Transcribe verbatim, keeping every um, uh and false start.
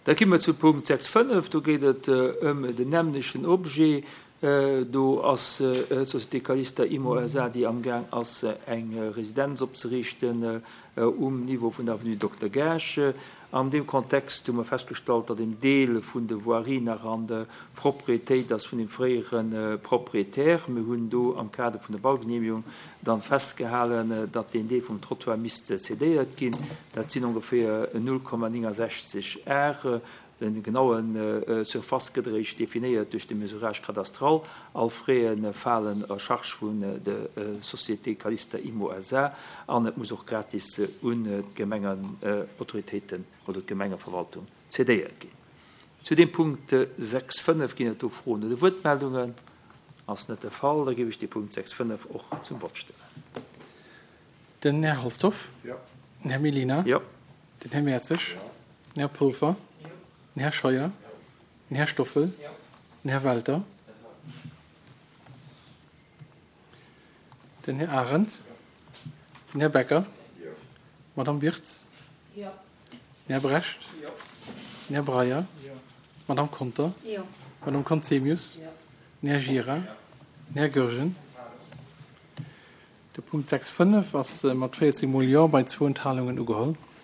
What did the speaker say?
Da gi mer zu Punkt sechs fënnef. Do geet et ëm den nämmlechten Objet. Do ass d'Société Calista Immo S A, déi amgaang ass, eng Residenz opzeriichten um Niveau vun der Avenue Dokter Gaasch. An deem Kontext hu mer festgestallt, datt en Deel vun de Voirie nach an der Propriétéit ass vun dem fréiere Propriétaire. Mir hunn do am Kader vun der Baugenehmigung dann festgehalen, datt deen Deel vum Trottoir misst cédéiert ginn. Dat sinn ongeféier null Komma néngensechzeg Ar. Den genauen Surface gëtt eréischt definéiert duerch de Mesurage cadastral. All Frais falen à charge vun der Société Calista Immo S A an et muss och gratis un d'Gemengenautoritéiten oder d'Gemengeverwaltung cédéiert ginn. Zu dem Punkt sechs fënnef ginn et do Froen oder Wuertmeldungen? Ass net de Fall, da géif ech de Punkt sechs fënnef och zum Vott stellen. Den Här Halsdorf. Jo. Den Här Mellina. Jo. Den Här Mertzig. Den Här Polfer. Den Här Scheuer. Den Här Stoffel. Den Här Welter. Den Här Arendt. Den Här Becker. D'Madame Wirtz. Den Här Brecht. Den Här Breyer. D'Madame Conter. D'Madame Conzemius. Den Här Gira. Den Här Goergen. De Punkt sechs fënnef ass mat véierzéng Mol Jo bei zwou Enthalungen ugeholl.